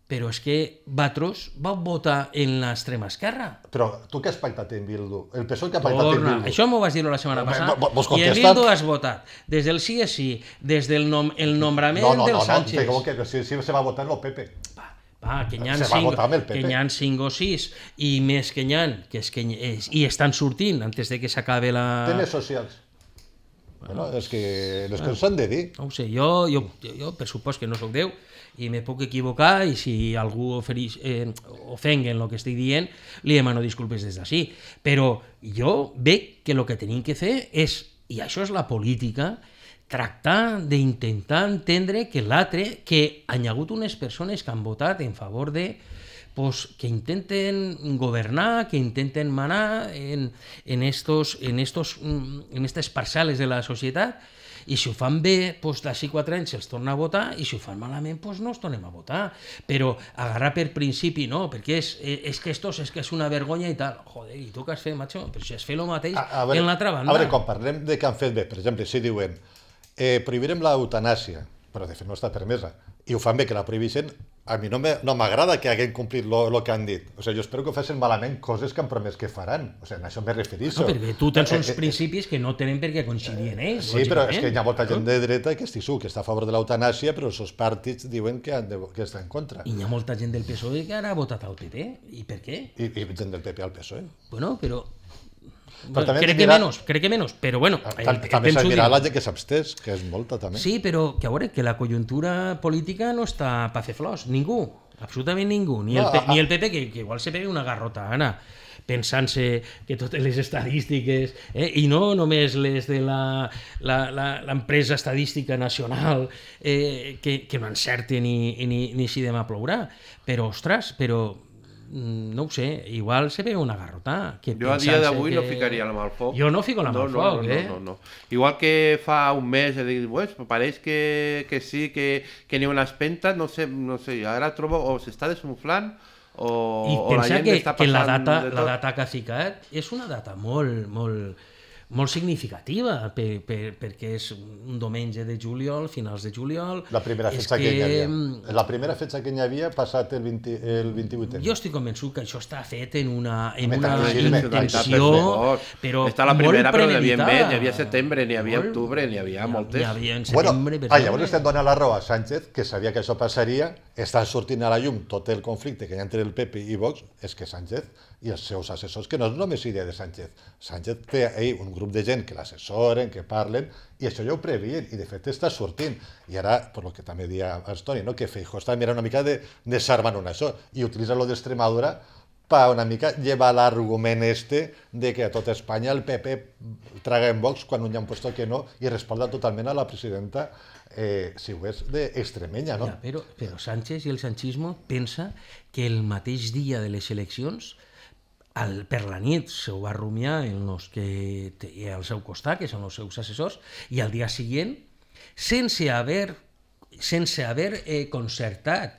Però és que vosaltres vau votar en l'extrema esquerra. Però tu què has pactat en Bildu? El P S O E que ha pactat Torna. en Bildu? Això m'ho vas dir la setmana passada. Vos I en Bildu has votat. Des del sí és sí, des del nom, el nombrament no, no, del no, Sánchez. No, no, que sí, sí se va votar en el P P. Va, va, que n'hi ha se va cinc, votar amb el P P. que n'hi ha cinc o sis, i més que n'hi ha, que és que és, i estan sortint antes de que s'acabe la... Temes socials. Bueno, és que les coses s'han de dir. No ho sé, jo, jo, jo per supost que no sóc Déu i me puc equivocar i si algú oferix, eh, ofenga en el que estic dient, li demano disculpes des d'ací. Però jo veig que el que tenim que fer és, i això és la política, tractar d'intentar entendre que l'altre, que hi ha hagut unes persones que han votat en favor de pues, que intenten governar, que intenten manar en, en, estos, en, estos, en estas parcel·les de la societat, i si ho fan bé, doncs d'ací quatre anys se'ls torna a votar, i si ho fan malament, doncs no els tornem a votar. Però agarrar per principi, no, perquè és, és que esto és que és una vergonya i tal. Joder, i tu què has fet, macho? Però si has fet el mateix a, a veure, en l'altra banda. A veure, quan parlem de que han fet bé, per exemple, si diuen eh, prohibirem l'eutanàsia, però de fet no està permesa, i ho fan bé que la prohibeixen. A mi no me- no m'agrada que hagin complit el que han dit. O sigui, jo espero que facin malament coses que han promès que faran. O sigui, en això me refereixo. No, perquè tu tens uns Eh, eh, principis que no tenen per què coincidir en ells. Sí, però és que hi ha lògicament. molta gent de dreta que estic segur que està a favor de l'eutanàsia, però els seus partits diuen que, han de, que està en contra. I hi ha molta gent del P S O E que ara ha votat al P P. I per què? I, i gent del P P al P S O E. Bueno, però... Però també crec hem de que mirar- menos, crec que menos, però bueno, el, Tam- el També temps s'ha ho de mirar dirà. la gent que s'abstès, que és molta també. Sí, però que a veure, que la conjuntura política no està pa fer flors, ningú, absolutament ningú, ni el, No, P- a- ni el P P, que, que igual se pega una garrota, Anna, pensant-se que totes les estadístiques, eh, i no només les de la- la- la- l'empresa estadística nacional, eh, que, que no encerten ni, ni, ni si demà plourà, però, ostres, però mm, no ho sé, igual se pega una garrota. Que Jo a dia pensant-se d'avui no que- ficaria la mà al foc. Jo no fico la mà no, al no, foc, no, eh? No, no, no. Igual que fa un mes he dit, pues, pareix que, que sí, que, que n'hi ha una espenta, no sé, no sé, ara trobo o s'està desunflant o, I o la pensa gent que, està que passant la data, de la tot. data que ha ficat és una data molt, molt, molt significativa, per, per, perquè és un diumenge de juliol, finals de juliol. La primera És fetge que, hi havia. mm, La primera fetge que hi havia passat el, vint, el vint-i-vuit. Jo estic convençut que això està fet en una, en Home, una també, sí, intenció, però Està la molt primera, però n'hi havia premeditada. més, n'hi havia setembre, n'hi havia Molt. octubre, n'hi havia moltes. N'hi havia en Bueno, setembre, per ah, llavors exemple. estem donant la raó a Sánchez, que sabia que això passaria, està sortint a la llum tot el conflicte que hi ha entre el P P i Vox, és que Sánchez i els seus assessors, que no és només idea de Sánchez, Sánchez té ahí un grup de gent que l'assessoren, que parlen, i això ja ho previen, i de fet està sortint. I ara, per lo que també deia Estoni, no? que Feijóo està mirant una mica de desarmant una això, i utilitza lo d'Extremadura para una mica llevar l'argument este de que a tota Espanya el P P traga en Vox quan un ja han puesto que no i respalda totalment a la presidenta eh, si ho és d'extremenya, no? Ja, però, però Sánchez i el sanchismo pensa que el mateix dia de les eleccions, al, per la nit, se ho va rumiar en els que té al seu costat, que són els seus assessors, i al dia següent, sense haver, sense haver eh, concertat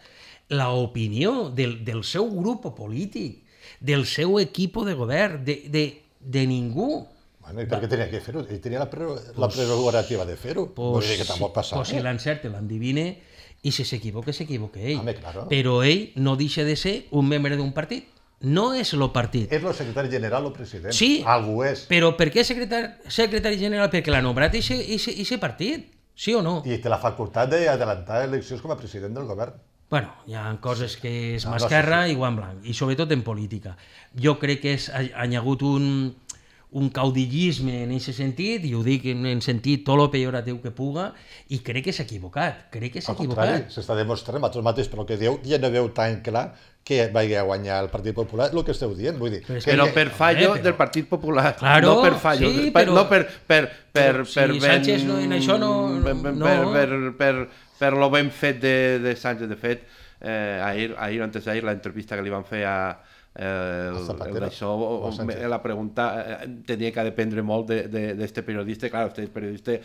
l'opinió del, del seu grup polític, del seu equip de govern, de, de, de ningú, Bueno, i per què tenia que fer-ho? Ell tenia la, pre la prerrogativa de fer-ho. Vull dir que tampoc passava. Pues si l'encerte, l'endivine, i si s'equivoca, s'equivoca ell. Home, claro. Però ell no deixa de ser un membre d'un partit. No és el partit. És el secretari general o president. Sí, Algú és. però per què secretari, secretari general? Perquè l'ha nombrat aquest partit, sí o no? I té la facultat d'adelantar eleccions com a president del govern. Bueno, hi ha coses que és No, mà no, esquerra sí, sí. i guant blanc, i sobretot en política. Jo crec que és, ha, ha hagut un, un caudillisme en aquest sentit, i ho dic en, en sentit tot el pejoratiu que puga, i crec que s'ha equivocat, crec que s'ha Al contrari, equivocat. s'està demostrant, vosaltres mateix, pel que dieu, ja no veu tan clar que vagi a guanyar el Partit Popular, el que esteu dient, vull dir. Però és que Però ell- per fallo Eh, però- del Partit Popular, Claro, no per fallo, sí, per, però- no per, per, per, però per, si Sánchez no- en això no- per, per, no- per, per, per, per lo ben fet de, de Sánchez, de fet, eh, ahir, ahir, antes d'ahir, la entrevista que li van fer a eh, el, Zapatero, el d'això, o o- Sánchez. la pregunta eh, tenia que dependre molt d'este de, de, d'este periodista, clar, este periodista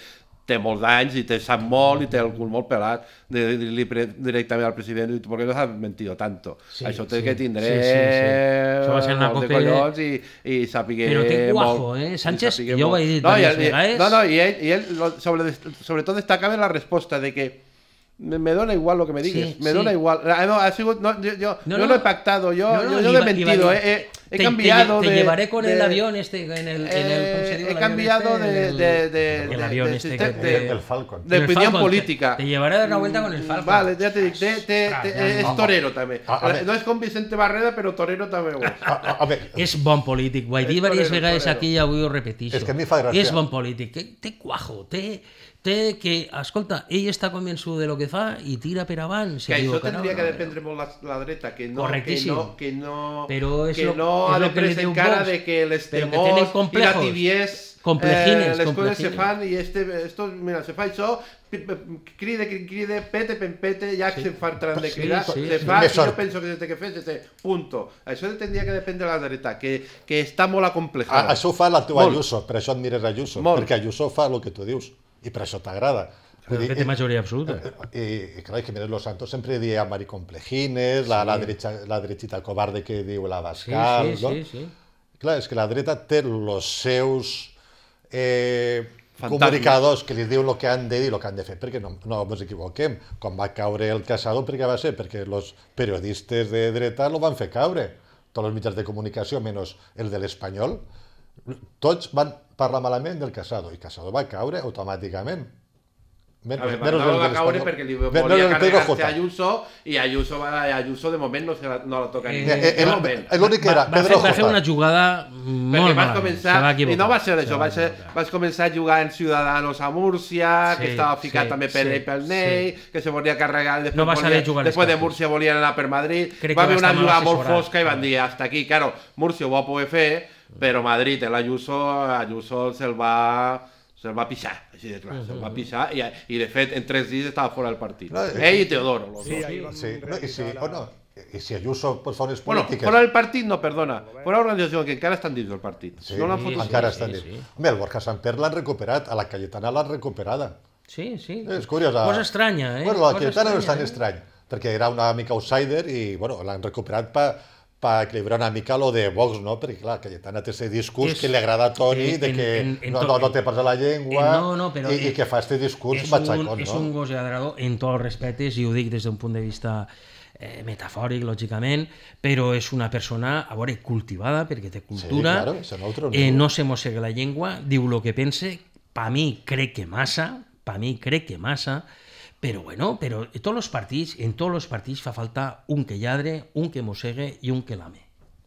té molts anys i té sap molt i té el cul molt pelat de dir-li pre- directament al president, ¿por qué nos has mentido tanto? Sí, Això té sí, que tindre sí, sí, sí. Això va ser una molt de copa de- collons i, i sàpiga Però té cuajo, molt, eh? i Sánchez, sàpiga jo ho molt. he dit no, i, diverses i- vegades. no, no, i ell, i ell lo- sobre, sobretot destacava en la resposta de que me, me dona igual lo que me digues, Sí, me sí. dona igual. Ah, no, ha sigut, no, yo, yo, No, yo no. no he pactado, yo, No, no, yo, yo li no he va- li va mentido, dir, eh, he, he te- cambiado te, te de... llevaré con de- el avión este, en el, en el, ¿cómo se eh, diu he l'avión cambiado este? de, El- de, de, el de- avión de este sistema- que- de- El Falcon. de El opinión Falcon, política. Te, te llevaré a dar una vuelta con el Falcon. Vale, ja t'he dit, té, té, té, Ostres, ja és no. torero també. A- a veure. No és com Vicente Barreda, però torero també ho és. A, a, a veure, És bon polític, ho he dit És diverses torero, vegades torero. aquí i avui ho repeteixo. És que a mi fa gràcia. És bon polític, té, té cuajo, té, té que, escolta, ell està convençut de lo que fa i tira per avant. Que això tindria que dependre molt la, la dreta, que no, que Correctíssim. no, que no, Però és que lo- no és ha lo de que li diu presentar Vox. de que les Però que temors tenen i la complejos. tibies Complejines, les coses se complejines. fan i este, esto, mira, se fa això, pi- pi- cride, cride, cride, pete, pempete, ja que se fa tram de Sí, cridar, sí, se sí. fa, Més i jo sort. penso que se té que fer, se té, punto. Això tindria que dependre de la dreta, que, que està molt a, acomplejada. això ho fa la teva Molt. Ayuso, per això admires Ayuso, Molt. perquè Ayuso fa el que tu dius, i per això t'agrada. Vull dir, Que té majoria absoluta. I, i clar, Jiménez Los Santos sempre dia maricomplejines, la, la, derecha, la derechita cobarde que diu la Sí, Bascal, sí, no? sí, sí. Clar, és que la dreta té els seus... Eh, comunicadors que li diuen el que han de dir i el que han de fer, perquè no, no ens equivoquem. Quan va caure el Casado, per què va ser? Perquè els periodistes de dreta el van fer caure. Tots els mitjans de comunicació, menys el de l'Espanyol, tots van parlar malament del Casado, i Casado va caure automàticament. Men, a veure, no va caure perquè li volia no, carregar-se a Ayuso i Ayuso, Ayuso de moment no, se la, no la toca ni. Eh, eh, L'únic que era va, Pedro va, fer, va fer una jugada molt malament. Començar, va i no va ser això, va ser, vas començar a jugar en Ciudadanos a Múrcia, sí, que estava ficat sí, també per sí, pel Ney, sí. que se volia carregar, després, no va volia, després de costos. Múrcia volien anar per Madrid, Crec va haver una jugada molt assessorat. fosca i van dir, hasta aquí, claro, Múrcia ho va poder fer, però Madrid, el Ayuso, Ayuso se'l va... se'l va pixar, així de clar, se'l va pixar i, i de fet en tres dies estava fora del partit. No, ell i Teodoro. Los sí, dos. Sí, no, i, si, oh, no, i si Ayuso pues, fa unes bueno, polítiques... fora del partit, no, perdona, fora l'organització que encara estan dins del partit. Sí, no sí, encara sí, estan dins. Sí, sí. Home, el Borja Samper l'han recuperat, a la Cayetana l'han recuperada. Sí, sí. És curiós. Cosa estranya, eh? Bueno, la Cosa Cayetana estranya, no és tan eh? estrany, perquè era una mica outsider i, bueno, l'han recuperat per per equilibrar una mica lo de Vox, no? Perquè, clar, Cayetana té aquest discurs és, que li agrada a Toni, de que en, en, en no, no, no té pas a la llengua, no, no, però, i, i que fa aquest discurs batxacón, no? És un gos lladrador en tots els respectes, i ho dic des d'un punt de vista eh, metafòric, lògicament, però és una persona, a veure, cultivada, perquè té cultura, sí, claro, eh, no se mossega la llengua, diu el que pense, pa mi crec que massa, pa mi crec que massa, però bueno, però en tots els partits, en tots els partits fa falta un que lladre, un que mossegue i un que lame.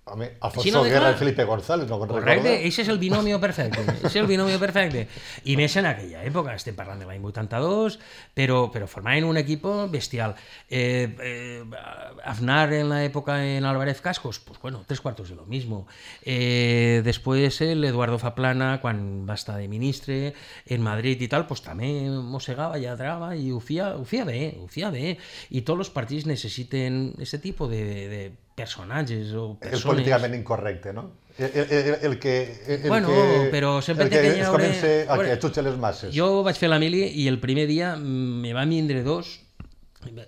Home, Alfonso no Guerra i Felipe González, no me'n recordo. Correcte, això és el binomio perfecte, és el binomio perfecte. I més en aquella època, estem parlant de l'any vuitanta-dos, però, però formaven un equip bestial. Eh, eh, Aznar en l'època en Álvarez Cascos, pues bueno, tres cuartos de lo mismo. Eh, després el Eduardo Zaplana, quan va estar de ministre en Madrid i tal, pues també mossegava, lladrava i ho feia, ho feia bé, ho feia bé. I tots els partits necessiten aquest tipus de, de personatges o persones... És políticament incorrecte, no? El, el, el que... El bueno, que, però sempre el que té que es haure... comença a que xutxe les masses. Jo vaig fer la mili i el primer dia me van vindre dos,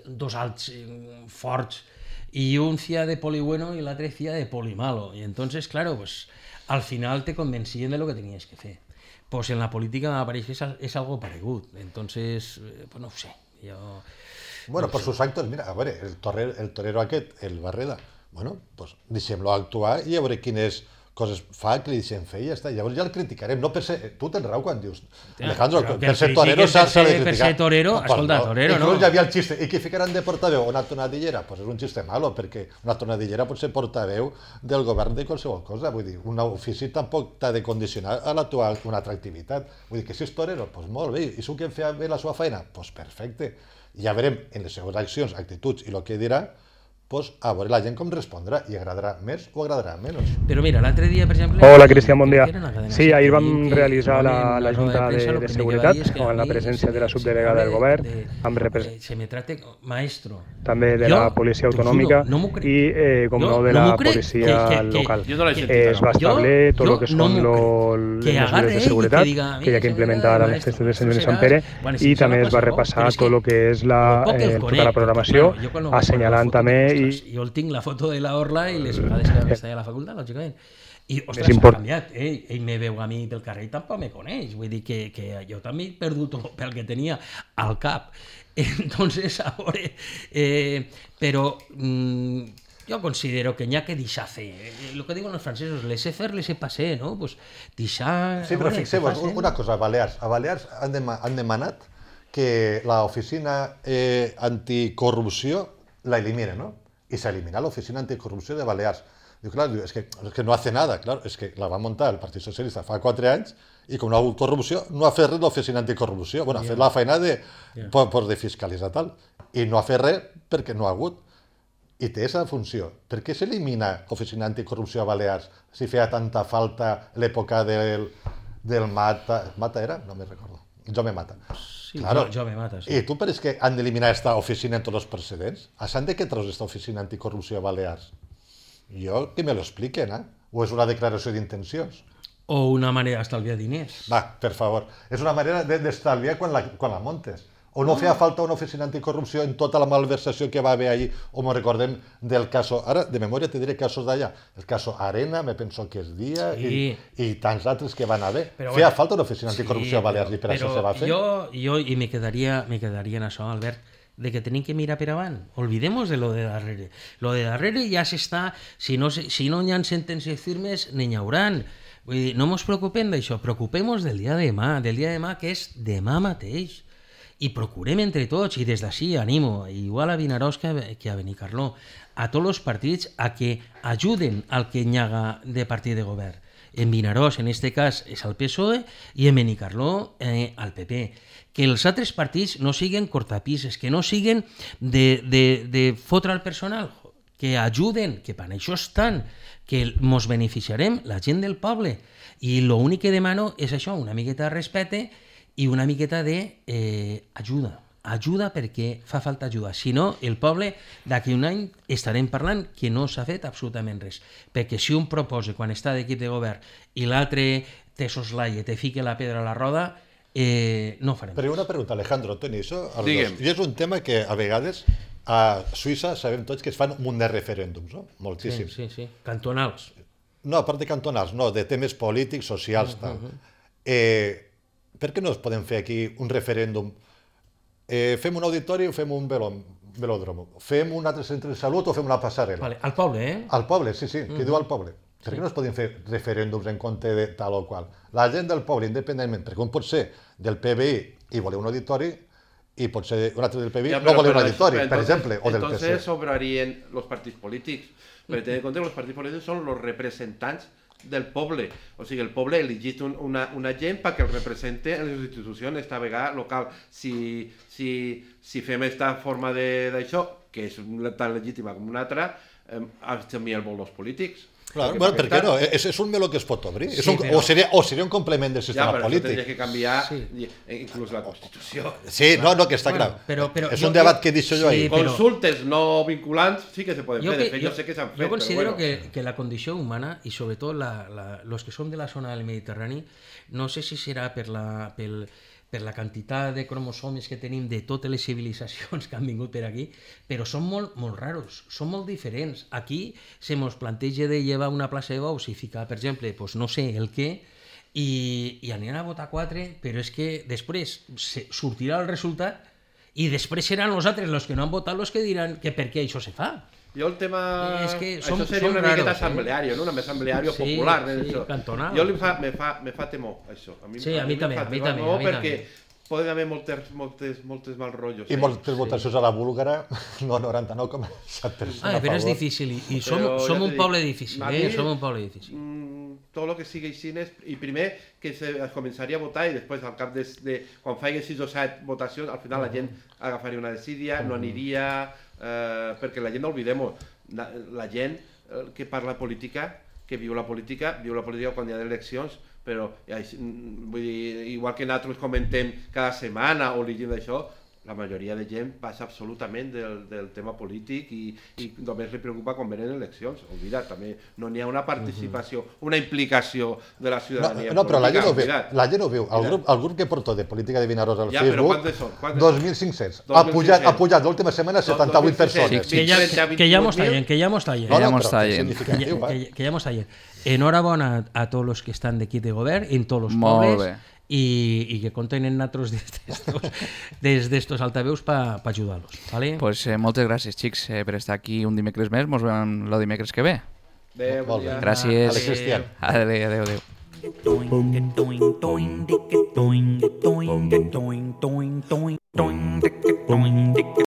dos alts forts, i un fia de poli bueno i l'altre fia de poli malo. I entonces, claro, pues, al final te convencien de lo que tenies que fer. Pues en la política m'apareix que és, és algo paregut. Entonces, pues no ho sé. Jo... Bueno, no per sé. sus actos, mira, a veure, el torero, el torero aquest, el Barreda, bueno, pues deixem-lo actuar i a veure quines coses fa que li deixem fer i ja està. Llavors ja el criticarem. No per ser... Tu tens raó quan dius... Alejandro, Però per ser torero s'ha de criticar. Per ser torero, no, escolta, no. torero, no. Inclús hi havia el xiste. I que ficaran de portaveu una tonadillera? Pues és un xiste malo, perquè una tonadillera pot ser portaveu del govern de qualsevol cosa. Vull dir, un ofici tampoc t'ha de condicionar a la tua una atractivitat. Vull dir que si és torero, pues molt bé. I si que fa bé la seva feina? Pues perfecte. I ja veurem en les seves accions, actituds i el que dirà, pues, a veure la gent com respondrà i agradarà més o agradarà menys. Però mira, l'altre dia, per exemple... Hola, Cristian, bon dia. Sí, ahir vam realitzar la, la Junta de, de Seguretat amb la presència de la subdelegada del govern, amb representants maestro. també de la Policia Autonòmica i, eh, com no, de la policia local. Es va establir tot el que són les mesures de seguretat que hi ha que implementar a les festes de Sant Joan i Sant Pere i també es va repassar tot el que és tota la programació, assenyalant també. Jo el tinc la foto de la Orla i les vegades que estava a la facultat, lògicament. I, ostres, s'ha canviat. Ell, ell me veu a mi pel carrer i tampoc me coneix. Vull dir que, que jo també he perdut tot el que tenia al cap. Entonces, a veure... Eh, però mm, jo considero que n'hi ha que deixar fer. El que diuen els francesos, laissez faire, laissez passer, no? Pues deixar... Sí, però fixeu-vos, una cosa, a Balears. A Balears han, dema han demanat que l'oficina eh, anticorrupció la elimine, no? Y se elimina la Oficina Anticorrupción de Balears. Digo, claro, es que, es que no hace nada, claro, es que la va muntar el Partit Socialista fa quatre anys i com no ha hagut corrupció, no ha fet res l'Oficina Anticorrupció. Bueno, ha fet la feina de, yeah. per, per de fiscalitzar tal. I no ha fet res perquè no ha hagut. I té aquesta funció. Per què s'elimina l'Oficina Anticorrupció a Balears si feia tanta falta l'època del, del Mata... Mata era? No me recordo. Jo me mata. Sí, claro. jo, jo me mata, sí. I tu per què han d'eliminar aquesta oficina en tots els precedents? A sant de què treus aquesta oficina anticorrupció a Balears? Jo, que me lo expliquen, eh? O és una declaració d'intencions? O una manera d'estalviar diners. Va, per favor. És una manera d'estalviar quan la, quan la montes. O no feia falta una oficina anticorrupció en tota la malversació que va haver allí, o me recordem del cas, ara de memòria te diré casos d'allà, el cas Arena, me penso que és dia, sí. i, i tants altres que van haver. Però, feia bueno, falta una oficina anticorrupció sí, a Balears i per això se va fer. Jo, jo i me quedaria, me quedaria en això, Albert, de que tenim que mirar per avant. Olvidemos de lo de darrere. Lo de darrere ja s'està, si no, si no hi ha sentències firmes, n'hi hauran. Vull dir, no ens preocupem d'això, preocupem-nos del dia de demà, del dia de demà que és demà mateix. I procurem entre tots, i des d'ací animo, igual a Vinaròs que a, que a Benicarló, a tots els partits a que ajuden al que hi haga de partit de govern. En Vinaròs, en aquest cas, és el P S O E, i en Benicarló, eh, al P P. Que els altres partits no siguen cortapises, que no siguen de, de, de fotre al personal, que ajuden, que per això estan, que ens beneficiarem, la gent del poble. I l'únic que demano és això, una miqueta de respecte i una miqueta d'ajuda. Eh, ajuda perquè fa falta ajuda. Si no, el poble d'aquí un any estarem parlant que no s'ha fet absolutament res. Perquè si un proposa quan està d'equip de govern i l'altre te soslaia, te fica la pedra a la roda, eh, no farem res. Però una pregunta, Alejandro, Toni, això, i és un tema que a vegades a Suïssa sabem tots que es fan un munt de referèndums, no? Moltíssims. Sí, sí, sí. Cantonals. No, a part de cantonals, no, de temes polítics, socials, tal. Eh... Per què no es podem fer aquí un referèndum? Eh, fem un auditori o fem un velòdrom? Fem un altre centre de salut o fem una passarel·la? Vale, al poble, eh? Al poble, sí, sí, que diu al poble. Per què no es podem fer referèndums en compte de tal o qual? La gent del poble, independentment, perquè un pot ser del P B I i voler un auditori, i pot ser un altre del P B I no voler un auditori, per exemple, o del P S O E. Entonces sobrarien los partits polítics, perquè tenir en compte que els partits polítics són els representants del poble, o sigui, el poble ha elegit un, una, una gent perquè el represente en les institucions, esta vegada local. Si, si, si fem aquesta forma d'això, que és tan legítima com una altra, eh, també el volen els polítics. Claro, bueno, per què no? És, és un meló que es pot obrir. Sí, un, però... o, seria, o seria un complement del sistema ja, però polític. Ja, però que canviar sí. inclús la Constitució. Sí, no, no, que està bueno, clar. Però, però, és un jo, debat que he dit jo sí, ahir. Però... Consultes no vinculants sí que se poden fer. De fet, jo, jo sé que s'han fet. Jo considero però bueno. que, que la condició humana, i sobretot la, la, los que som de la zona del Mediterrani, no sé si serà per la... pel, per la quantitat de cromosomes que tenim de totes les civilitzacions que han vingut per aquí, però són molt, molt raros, són molt diferents. Aquí se mos planteja de llevar una plaça de bous i ficar, per exemple, pues no sé el què, i, i aniran a votar quatre, però és que després se, sortirà el resultat i després seran els altres els que no han votat els que diran que per què això se fa. Jo el tema... És que som, això seria una raros, miqueta assembleari, eh? no? Una assembleari sí, popular. Eh? Sí, cantonal. Jo li fa, me, fa, me fa temor, això. A mi, sí, a, a mi, mi també, a mi també. No, perquè poden haver moltes, moltes, moltes mal rotllos. I moltes sí. votacions a la búlgara, no, noranta-nou coma set per cent ah, però és difícil, i, i som, som un poble difícil, eh? Mi, som un poble difícil. Mm, tot el que sigui així, i primer que se començaria a votar i després al cap de, de quan faci sis o set votacions, al final la gent agafaria una decidia, no aniria, eh, perquè la gent no oblidem, la, la gent que parla política, que viu la política, viu la política quan hi ha eleccions, però vull dir, igual que nosaltres comentem cada setmana o llegim d'això, la majoria de gent passa absolutament del, del tema polític i, i només li preocupa quan venen eleccions. Oblida, també no n'hi ha una participació, una implicació de la ciutadania. No, no però la gent ho veu. La gent ho veu. El grup, el grup que portó de política de Vinaròs al ja, Facebook, dos mil cinc-cents. Ha pujat, ha pujat l'última setmana setanta-vuit persones. Que ja, que ja mos tallen, que ja mos tallen. No, no, però que, que ja mos tallen. Enhorabona a, a tots els que estan d'equip de govern, en tots els pobles, i, i que compten en nosaltres des d'estos altaveus per pa ajudar-los. ¿Vale? Pues eh, moltes gràcies, xics, eh, per estar aquí un dimecres més. Ens veiem el dimecres que ve. Adéu, bon dia. Gràcies. Adéu, Cristian. Adéu, adéu, adéu. Doing, doing, doing, doing, doing, doing, doing, doing, doing, doing, doing,